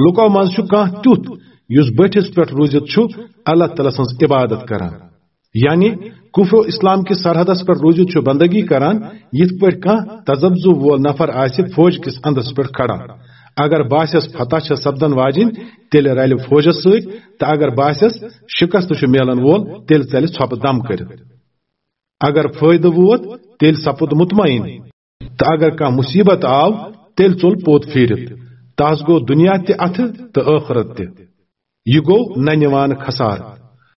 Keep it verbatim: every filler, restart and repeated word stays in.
لوکو منٛز چھُ کانٛہہ تیُتھ یُس بٔٹھِس پٮ۪ٹھ روٗزِتھ چھُ اللہ تعالیٰ سٕنٛز عبادت کران، یعنی کفر و اسلام کِس سرحدس پٮ۪ٹھ روٗزِتھ چھُ بندگی کران، یِتھ پٲٹھۍ کانٛہہ تذبذب وول نفر آسہِ فوج کِس اندس پٮ۪ٹھ کھڑا۔ اگر باسٮ۪س فتح چھےٚ سپدن واجِنۍ، تیٚلہِ رلہِ فوجس سۭتۍ، تہٕ اگر باسٮ۪س شکست چھُ میلن وول، تیٚلہِ ژلہِ ژھۄپہٕ دم کٔرِتھ۔ اگر فٲیدٕ ووت، تیٚلہِ سپُد مطمئن، تہٕ اگر کانٛہہ مصیبت آو، تیٚلہِ ژوٚل پوٚت پھیٖرِتھ۔ تس گوٚو دُنیا تہِ اتھٕ تہٕ ٲخرت تہِ۔ یہِ گوٚو نہ نِوان خسارٕ۔